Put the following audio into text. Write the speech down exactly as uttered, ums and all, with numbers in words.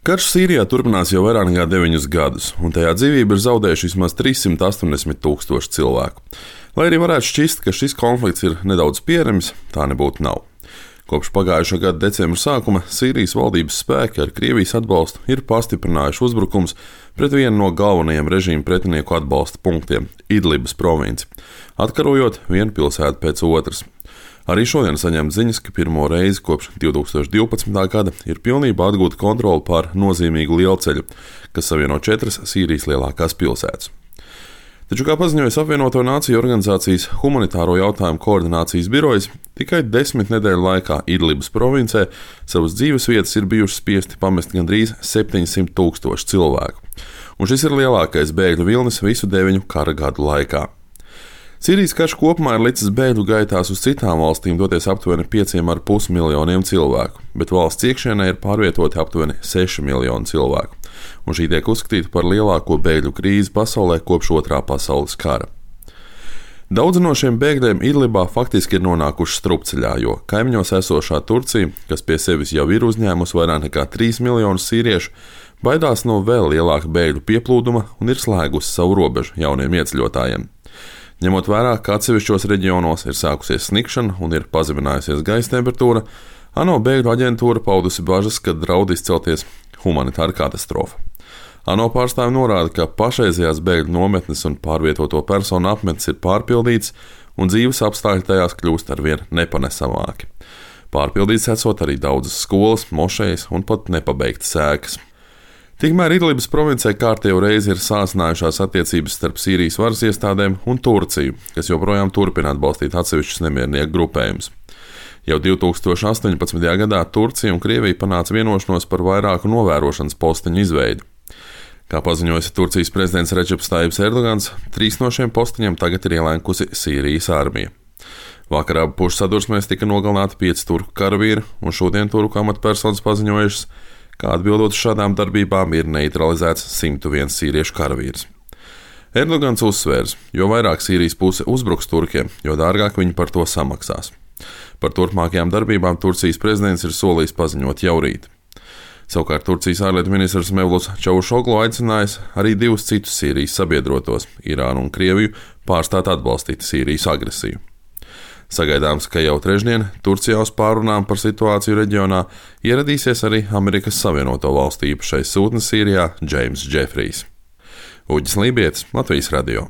Karš Sīrijā turpinās jau vairāk nekā deviņus gadus, un tajā dzīvību ir zaudējuši vismaz trīs simti astoņdesmit tūkstoši cilvēku. Lai arī varētu šķist, ka šis konflikts ir nedaudz pierimis, tā nebūtu nav. Kopš pagājušā gada decembra sākuma Sīrijas valdības spēki ar Krievijas atbalstu ir pastiprinājuši uzbrukums pret vienu no galvenajiem režīma pretinieku atbalsta punktiem – Idlibas provinci, atkarojot vienu pilsētu pēc otras. Arī šodien saņemt ziņas, ka pirmo reizi kopš divi tūkstoši divpadsmitā gada ir pilnībā atgūta kontrole pār nozīmīgu lielceļu, kas savieno četras Sīrijas lielākās pilsētas. Taču, kā paziņojas Apvienoto Nāciju organizācijas humanitāro jautājumu koordinācijas birojas, tikai desmit nedēļu laikā Idlibas provincē savas dzīvesvietas ir bijuši spiesti pamest gandrīz septiņsimt tūkstoši cilvēku, un šis ir lielākais bēgļu vilnis visu deviņu kara gadu laikā. Sīrijas karš kopumā ir licis bēgļu gaitās uz citām valstīm doties aptuveni pieciem ar pus miljoniem cilvēku, bet valsts iekšienē ir pārvietoti aptuveni seši miljoni cilvēku, un šī tiek uzskatīta par lielāko bēgļu krīzi pasaulē kopš otrā pasaules kara. Daudzi no šiem bēgļiem Idlibā faktiski ir nonākuši strupceļā, jo kaimiņos esošā Turcija, kas pie sevis jau ir uzņēmusi vairāk nekā trīs miljonus sīriešu, baidās no vēl lielāka bēgļu pieplūduma un ir slēgusi savu robežu jauniem ieceļotājiem. Ņemot vērā, ka atsevišķos reģionos ir sākusies snikšana un ir pazeminājusies gaisa temperatūra, ANO bēgļu aģentūra paudusi bažas, ka draud izcelties humanitāra katastrofa. ANO pārstāvji norāda, ka pašreizējās bēgļu nometnes un pārvietoto personu apmetnes ir pārpildītas un dzīves apstākļi tajās kļūst arvien nepanesamāki. Pārpildītas esot arī daudzas skolas, mošejas un pat nepabeigtas ēkas. Tikmēr Idlibas provincē kārtējo reizi ir sāsinājušās attiecības starp Sīrijas varas iestādēm un Turciju, kas joprojām turpina atbalstīt atsevišķus nemiernieku grupējumus. Jau divi tūkstoši astoņpadsmitajā gadā Turcija un Krievija panāca vienošanos par vairāku novērošanas posteņu izveidi. Kā paziņoja Turcijas prezidents Redžeps Tajibs Erdogans, trīs no šiem posteņiem tagad ir ielenkusi Sīrijas armija. Vakar abu pušu sadursmēs tika nogalināti pieci turku karavīri, un šodien turku amatpersonas paziņojušas, kā atbildot uz šādām darbībām ir neutralizēts simt viens sīriešu karavīrs. Erdogans uzsvērs, jo vairāk Sīrijas puse uzbruks turkiem, jo dārgāk viņi par to samaksās. Par turpmākajām darbībām Turcijas prezidents ir solījis paziņot jau rīt. Savukārt Turcijas ārlietu ministrs Mevluts Čavušoglu aicinājis arī divus citus Sīrijas sabiedrotos, Irānu un Krieviju, pārstāt atbalstīt Sīrijas agresiju. Sagaidāms, ka jau trešdien Turcijā uz pārunām par situāciju reģionā ieradīsies arī Amerikas Savienoto Valstu īpašais sūtnis Sīrijā Džeims Džefrijs. Uģis Lībietis, Latvijas radio.